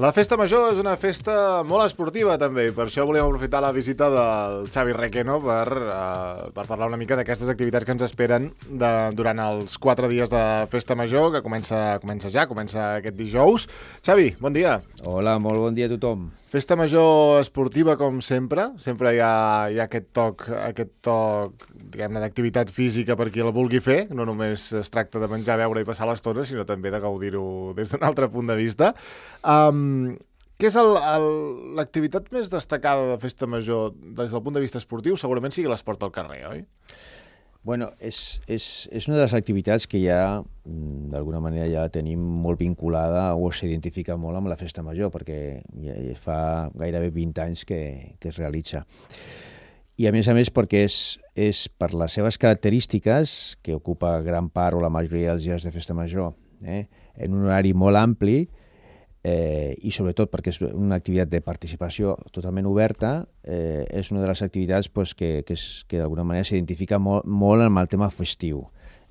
La festa major és una festa molt esportiva, també, i per això volíem aprofitar la visita del Xavi Requeno per parlar una mica d'aquestes activitats que ens esperen durant els 4 dies de festa major, que comença aquest dijous. Xavi, bon dia. Hola, molt bon dia a tothom. Festa major esportiva, com sempre. Sempre hi ha aquest toc, diguem-ne, d'activitat física per qui la vulgui fer. No només es tracta de menjar, beure i passar l'estona, sinó també de gaudir-ho des d'un altre punt de vista. Què és l'activitat més destacada de festa major des del punt de vista esportiu? Segurament sigui l'esport al carrer, oi? Bueno, és una de les activitats que ja, d'alguna manera, ja la tenim molt vinculada o s'identifica molt amb la festa major, perquè ja fa gairebé 20 anys que es realitza. I a més perquè és per les seves característiques, que ocupa gran part o la majoria dels dies de festa major, en un horari molt ampli, i sobretot perquè és una activitat de participació totalment oberta, és una de les activitats que d'alguna manera s'identifica molt amb el tema festiu.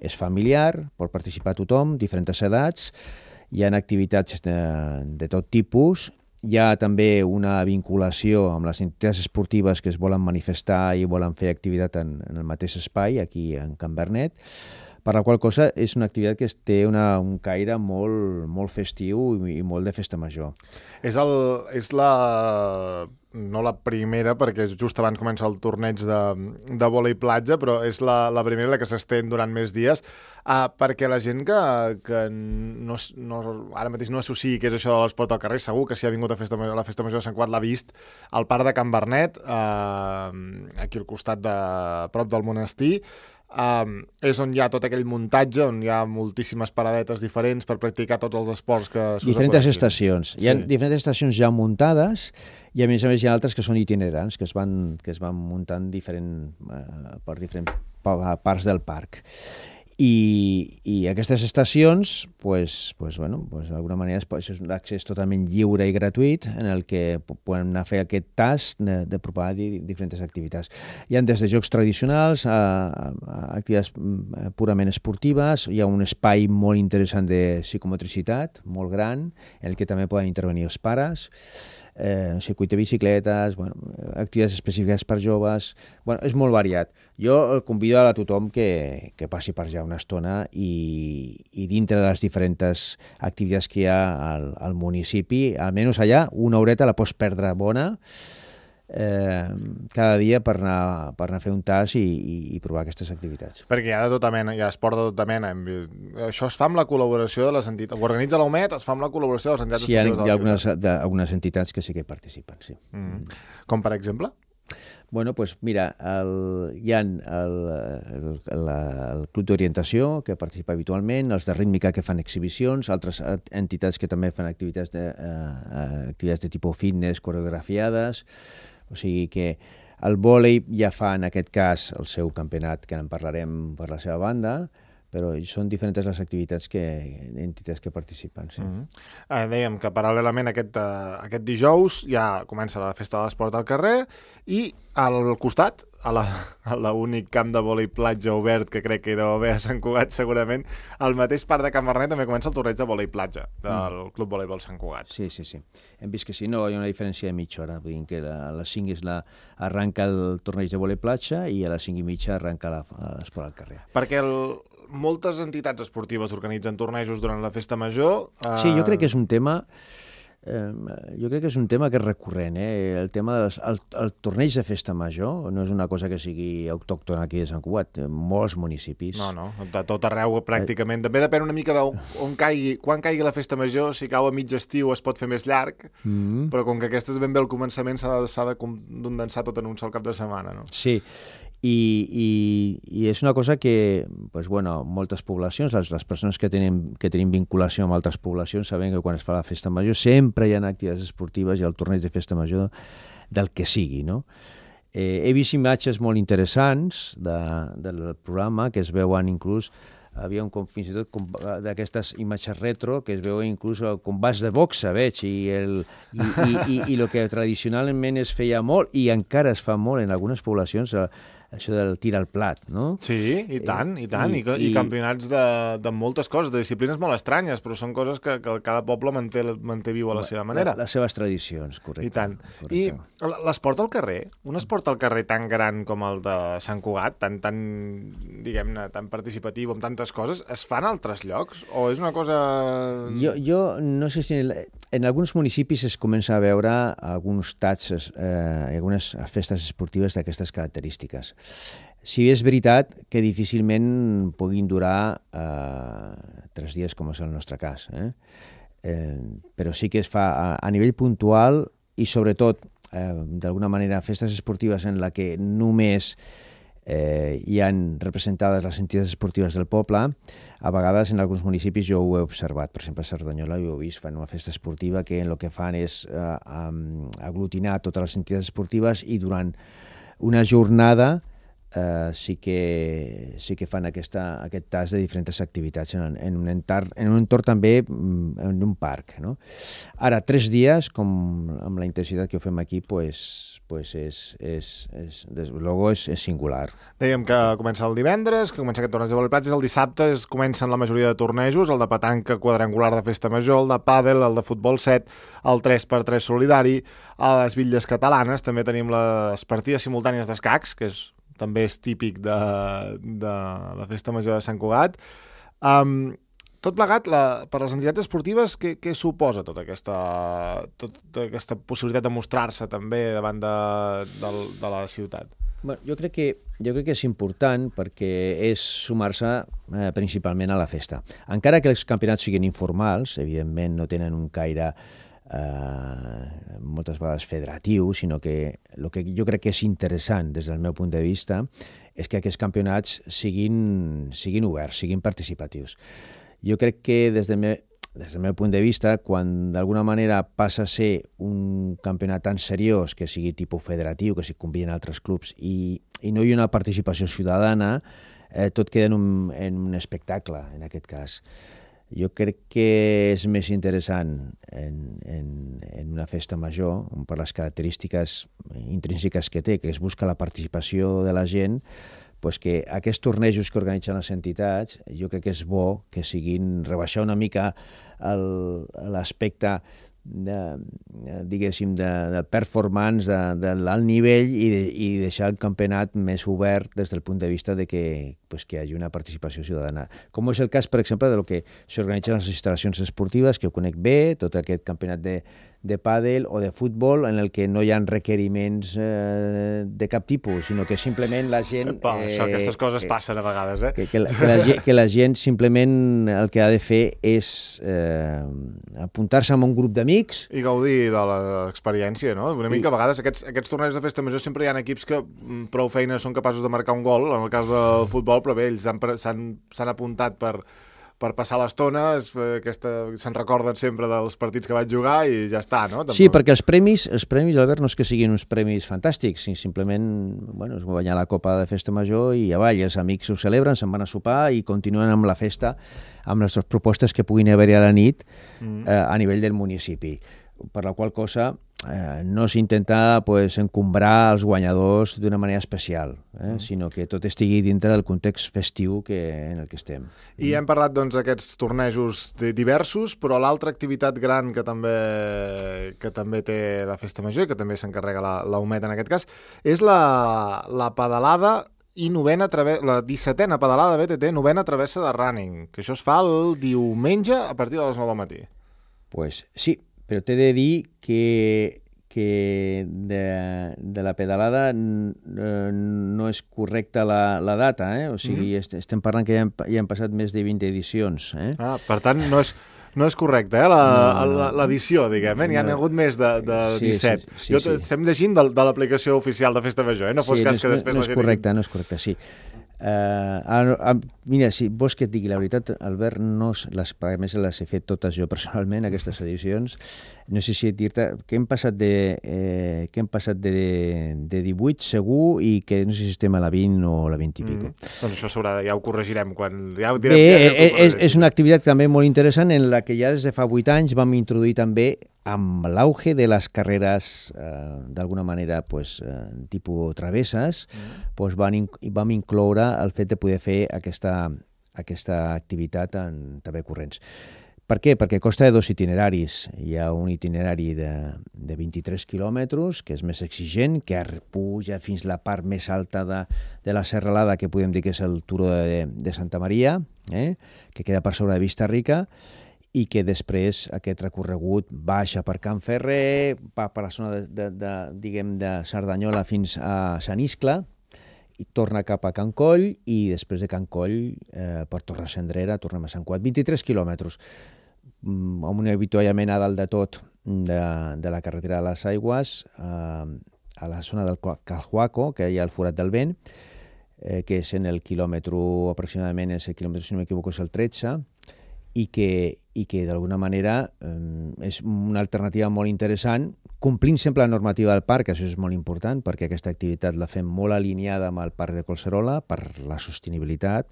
És familiar, pot participar tothom, diferents edats, hi ha activitats de tot tipus, hi ha també una vinculació amb les entitats esportives que es volen manifestar i volen fer activitat en el mateix espai, aquí en Can Bernet, per la qual cosa és una activitat que té un caire molt festiu i molt de festa major. És no la primera, perquè just abans comença el torneig de vòlei platja, però és la primera que s'estén durant més dies, perquè la gent que ara mateix no associï què és això de l'esport al carrer, segur que si ha vingut a la festa major de Sant Cugat l'ha vist al parc de Can Bernet, aquí al costat prop del monestir. És on hi ha tot aquell muntatge, on hi ha moltíssimes paradetes diferents per practicar tots els esports que s'usen. Diferents estacions. Hi ha diferents estacions ja muntades i a més hi ha altres que són itinerants, que es van muntant per diferents parts del parc. I aquestes estacions, d'alguna manera, és un accés totalment lliure i gratuït en el que poden anar a fer aquest tast de provar diferents activitats. Hi ha des de jocs tradicionals a activitats purament esportives, hi ha un espai molt interessant de psicomotricitat, molt gran, en el que també poden intervenir els pares, circuit de bicicletes, activitats específiques per joves. És molt variat. Jo el convido a tothom que passi per allà una estona i dintre de les diferents activitats que hi ha al municipi, almenys allà, una horeta la pots perdre bona cada dia per anar a fer un tas i provar aquestes activitats. Perquè hi ha de tota mena, hi ha esport de tota mena. Això es fa amb la col·laboració de les entitats. Ho organitza l'UMED, es fa amb la col·laboració de les entitats esportives de la ciutat. Sí, hi ha algunes entitats que sí que hi participen, sí. Com per exemple? Mira, hi ha el Club d'Orientació, que participa habitualment, els de Rítmica, que fan exhibicions, altres entitats que també fan activitats de tipus fitness, coreografiades. O sigui que el vòlei ja fa, en aquest cas, el seu campionat, que en parlarem per la seva banda, però són diferents les entitats que participen. Sí. Dèiem que paral·lelament aquest dijous ja comença la festa de l'esport al carrer i al costat, a l'únic camp de vòlei platja obert que crec que hi deu haver a Sant Cugat segurament, al mateix parc de Can Bernet també comença el torneig de vòlei platja del Club Voleibol Sant Cugat. Sí. Hem vist que sí, no, hi ha una diferència de mitja hora, vull dir que a les 5 arranca el torneig de vòlei platja i a les 5 i mitja arranca l'esport al carrer. Perquè moltes entitats esportives organitzen tornejos durant la festa major. Sí, jo crec que és un tema que és recurrent. El tema del torneig de festa major no és una cosa que sigui autòctona aquí de Sant Cugat, molts municipis. No, de tot arreu pràcticament. També depèn una mica d'on caigui, quan caigui la festa major. Si cau a mig estiu es pot fer més llarg, però com que aquesta és ben bé el començament s'ha de condensar tot en un sol cap de setmana, no? Sí, i és una cosa que moltes poblacions, les persones que tenim vinculació amb altres poblacions, saben que quan es fa la festa major sempre hi ha activitats esportives i el torneig de festa major del que sigui, no? He vist imatges molt interessants del programa que es veuen inclús havia fins i tot d'aquestes imatges retro que es veuen inclús combats de boxa, veig, i el que tradicionalment es feia molt i encara es fa molt en algunes poblacions, això del tir al plat, no? Sí, i tant. I campionats de moltes coses, de disciplines molt estranyes, però són coses que cada poble manté viu a la seva manera. Les seves tradicions, correcte. I tant. Correcte. I l'esport al carrer, un esport al carrer tan gran com el de Sant Cugat, tan diguem-ne, tan participatiu, amb tantes coses, es fa en altres llocs? O és una cosa... Jo no sé si en alguns municipis es comença a veure alguns tatxes, algunes festes esportives d'aquestes característiques. Si bé és veritat que difícilment puguin durar 3 dies, com és el nostre cas, però sí que es fa a nivell puntual i sobretot, d'alguna manera, festes esportives en la que només hi han representades les entitats esportives del poble. A vegades en alguns municipis jo ho he observat, per exemple a Cerdanyola ho he vist, fan una festa esportiva que el que fan és aglutinar totes les entitats esportives i durant una jornada sí que fan aquest tas de diferents activitats en un entorn també en un parc, no? Ara, 3 dies, com amb la intensitat que ho fem aquí, és singular. Dèiem que comença el divendres, que comença aquest torneig de vòlei platja, el dissabte comencen la majoria de tornejos, el de petanca quadrangular de festa major, el de pàdel, el de futbol 7, el 3x3 solidari, a les Bitlles Catalanes també tenim les partides simultànies d'escacs, que també és típic de la festa major de Sant Cugat. Tot plegat, per les entitats esportives, què suposa tota aquesta possibilitat de mostrar-se també davant de la ciutat? Bueno, jo crec que és important perquè és sumar-se principalment a la festa. Encara que els campionats siguin informals, evidentment no tenen un caire moltes vegades federatiu, sinó que el que jo crec que és interessant des del meu punt de vista és que aquests campionats siguin oberts, siguin participatius. Jo crec que des del meu punt de vista, quan d'alguna manera passa a ser un campionat tan seriós que sigui tipus federatiu, que s'hi conviden altres clubs i no hi ha una participació ciutadana, tot queda en un espectacle, en aquest cas. Jo crec que és més interessant en una festa major, per les característiques intrínseques que té, que es busca la participació de la gent, pues que aquests tornejos que organitzen les entitats, jo crec que és bo que siguin rebaixar una mica l'aspecte diguéssim, del performance, de l'alt nivell i deixar el campionat més obert des del punt de vista de que hi hagi una participació ciutadana. Com és el cas, per exemple, del que s'organitzen les instal·lacions esportives, que ho conec bé, tot aquest campionat de pàdel o de futbol, en el que no hi ha requeriments de cap tipus, sinó que simplement la gent... Aquestes coses passen a vegades, Que la gent simplement el que ha de fer és apuntar-se a un grup d'amics... I gaudir de l'experiència, no? Una mica a vegades aquests tornejos de festa major sempre hi ha equips que prou feina són capaços de marcar un gol, en el cas del futbol, però bé, ells s'han apuntat per passar l'estona, se'n recorden sempre dels partits que vaig jugar i ja està, no? Sí, perquè els premis, Albert, no és que siguin uns premis fantàstics, simplement es guanyar la Copa de Festa Major i avall, els amics ho celebren, se'n van a sopar i continuen amb la festa, amb les propostes que puguin haver-hi a la nit a nivell del municipi. Per la qual cosa no s'intenta encombrar els guanyadors d'una manera especial, sinó que tot estigui dintre del context festiu en el que estem. I hem parlat d'aquests tornejos diversos, però l'altra activitat gran que també té la Festa Major, que també s'encarrega la UMET en aquest cas, és la pedalada i la 17a pedalada BTT, 9a travessa de running, que això es fa el diumenge a partir de les 9 del matí. Pues sí, però t'he de dir que de la pedalada no és correcta la data, o sigui, estem parlant que ja han passat més de 20 edicions. Per tant, no és correcte, l'edició, diguem, n'hi ha hagut més de 17. Estem llegint de l'aplicació oficial de Festa Major, no fos cas que després... No és correcte, sí. Mira, si vols que et digui la veritat, Albert, a més les he fet totes jo personalment, aquestes edicions. No sé si dir-te que hem passat de 18 segur i que no sé si estem a la 20 o a la 20 i pico. Doncs això ja ho corregirem. Ja ho direm. És una activitat també molt interessant en la que ja des de fa 8 anys vam introduir també amb l'auge de les carreres, d'alguna manera, tipus travesses, vam incloure el fet de poder fer aquesta activitat també corrents. Per què? Perquè consta de 2 itineraris. Hi ha un itinerari de 23 quilòmetres, que és més exigent, que puja fins la part més alta de la Serralada, que podem dir que és el Turó de Santa Maria, que queda per sobre de Vista Rica, i que després aquest recorregut baixa per Can Ferrer, va per la zona de Cerdanyola fins a Sant Iscle, i torna cap a Can Coll, i després de Can Coll per Torrescendrera tornem a Sant Cugat. 23 quilòmetres, amb un avituallament a dalt de tot de la carretera de les Aigües, a la zona del Calhuaco, que hi ha el Forat del Vent, que és en el quilòmetre, aproximadament, si no m'equivoco, és el 13, i que d'alguna manera és una alternativa molt interessant, complint sempre la normativa del parc, això és molt important, perquè aquesta activitat la fem molt alineada amb el parc de Collserola per la sostenibilitat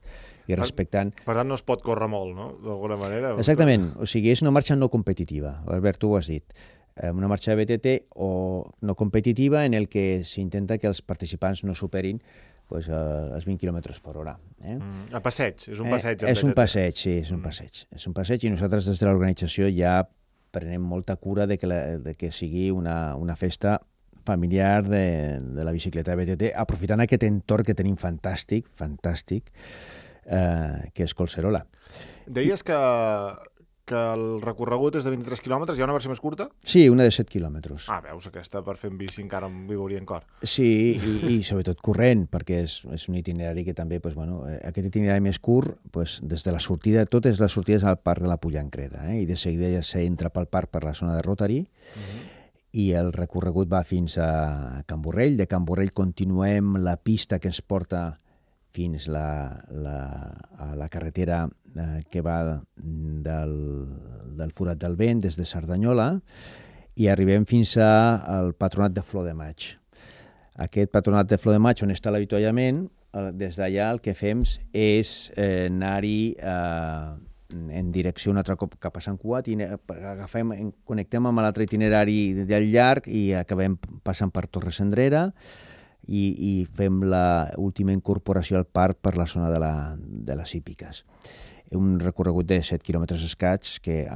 i respectant... Per tant, no es pot córrer molt, no?, d'alguna manera. Exactament, o sigui, és una marxa no competitiva, Albert, tu ho has dit. Una marxa de BTT o no competitiva en el que s'intenta que els participants no superin els 20 km per hora. A passeig, és un passeig. És un passeig, sí, és un passeig. És un passeig i nosaltres des de l'organització ja prenem molta cura de que sigui una festa familiar de la bicicleta de BTT, aprofitant aquest entorn que tenim fantàstic, que és Collserola. Deies que el recorregut és de 23 quilòmetres, hi ha una versió més curta? Sí, una de 7 quilòmetres. Veus, aquesta per fer en bici encara em vibria en cor. Sí, i sobretot corrent, perquè és un itinerari que també, aquest itinerari més curt, des de la sortida, totes les sortides al parc de la Pullancreda, i de seguida ja s'entra pel parc per la zona de Rotary, i el recorregut va fins a Can Borrell. De Can Borrell continuem la pista que ens porta fins a la carretera que va del Forat del Vent des de Cerdanyola i arribem fins al Patronat de Flor de Maig. Aquest Patronat de Flor de Maig, on està l'avituallament, des d'allà el que fem és anar-hi en direcció un altre cop cap a Sant Cugat i connectem amb l'altre itinerari del llarg i acabem passant per Torrescendrera i fem l'última incorporació al parc per la zona de les hípiques. Un recorregut de 7 quilòmetres escaig que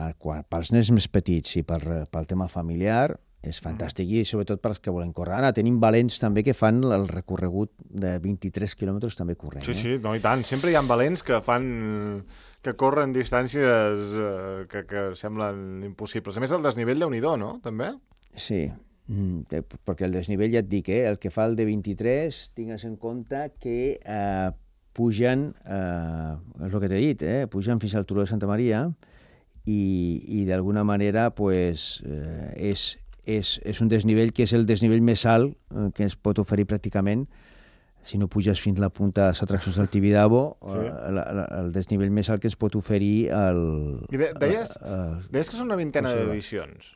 pels nens més petits i pel tema familiar és fantàstic i sobretot pels que volen córrer. Ara tenim valents també que fan el recorregut de 23 quilòmetres també corrent. Sí, no, i tant. Sempre hi ha valents que corren distàncies que semblen impossibles. A més, el desnivell déu-n'hi-do, no? També? Sí, perquè el desnivell, ja et dic, el que fa el de 23, tingues en compte que pugen, és el que t'he dit, pugen fins al Turó de Santa Maria i d'alguna manera és un desnivell que és el desnivell més alt que es pot oferir pràcticament si no puges fins a la punta de les atraccions del Tibidabo, el desnivell més alt que es pot oferir deies que són una vintena d'edicions.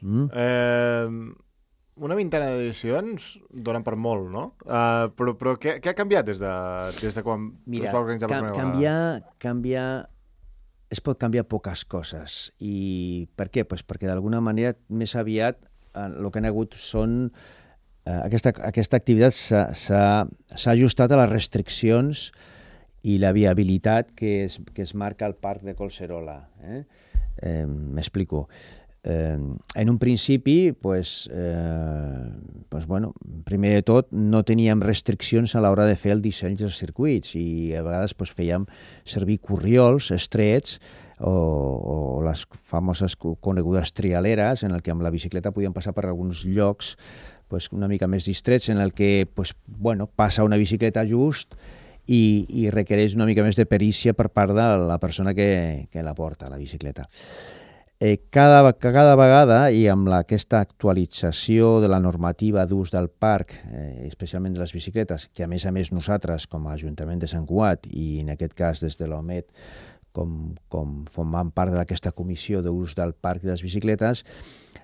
Una vintena d'edicions donen per molt, no? Però què ha canviat des de quan es va organitzar per primera vegada? Es pot canviar poques coses. I per què? Perquè d'alguna manera més aviat el que han hagut són... Aquesta activitat s'ha ajustat a les restriccions i la viabilitat que es marca al parc de Collserola. M'explico. En un principi, primer de tot, no teníem restriccions a l'hora de fer el disseny dels circuits i a vegades fèiem servir corriols estrets o les famoses conegudes trialeres en el que amb la bicicleta podíem passar per alguns llocs una mica més distrets en el que passa una bicicleta just i requereix una mica més de perícia per part de la persona que la porta, la bicicleta. Cada vegada, i amb aquesta actualització de la normativa d'ús del parc, especialment de les bicicletes, que a més nosaltres, com a Ajuntament de Sant Cugat, i en aquest cas des de l'OMET, com formant part d'aquesta comissió d'ús del parc de les bicicletes,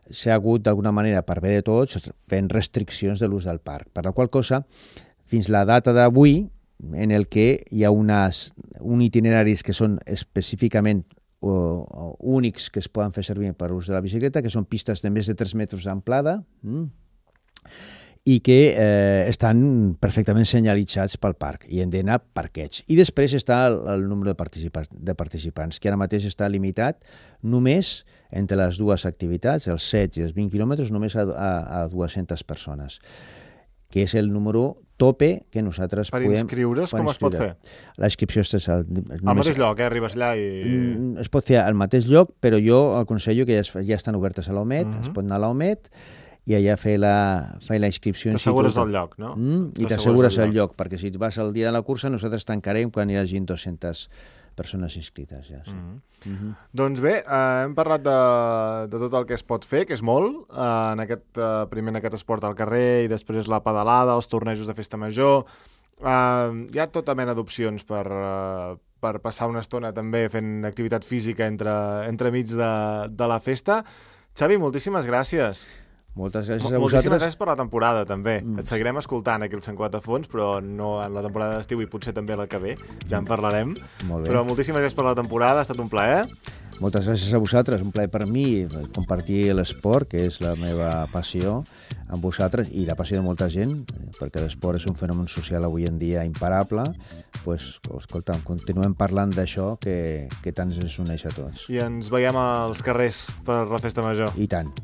s'ha hagut d'alguna manera, per bé de tots, fent restriccions de l'ús del parc. Per la qual cosa, fins la data d'avui, en el que hi ha uns itineraris que són específicament únics que es poden fer servir per l'ús de la bicicleta, que són pistes de més de 3 metres d'amplada i que estan perfectament senyalitzats pel parc i han d'anar parquets. I després està el número de participants, que ara mateix està limitat només entre les dues activitats, els 7 i els 20 quilòmetres, només a 200 persones, que és el número tope que nosaltres podem... Per inscriure's, com es pot fer? La inscripció és... Al mateix lloc, arribes allà i... Es pot fer al mateix lloc, però jo aconsello que ja estan obertes a l'OMET, es pot anar a l'OMET i allà fer la inscripció. T'assegures el lloc, no? I t'assegures el lloc, perquè si vas al dia de la cursa nosaltres tancarem quan hi hagi 200 persones inscrites. Ja, sí. Doncs bé, hem parlat de tot el que es pot fer, que és molt, primer en aquest esport al carrer i després la pedalada, els tornejos de festa major. Hi ha tota mena d'opcions per passar una estona també fent activitat física entremig de la festa. Xavi, moltíssimes gràcies. Moltes gràcies a vosaltres. Moltíssimes gràcies per la temporada, també. Et seguirem escoltant aquí al Sant Cugat a fons, però no en la temporada d'estiu i potser també la que ve. Ja en parlarem. Molt bé. Però moltíssimes gràcies per la temporada, ha estat un plaer. Moltes gràcies a vosaltres, un plaer per mi compartir l'esport, que és la meva passió, amb vosaltres i la passió de molta gent, perquè l'esport és un fenomen social avui en dia imparable. Pues, escolta, continuem parlant d'això que tant ens uneix a tots. I ens veiem als carrers per la festa major. I tant.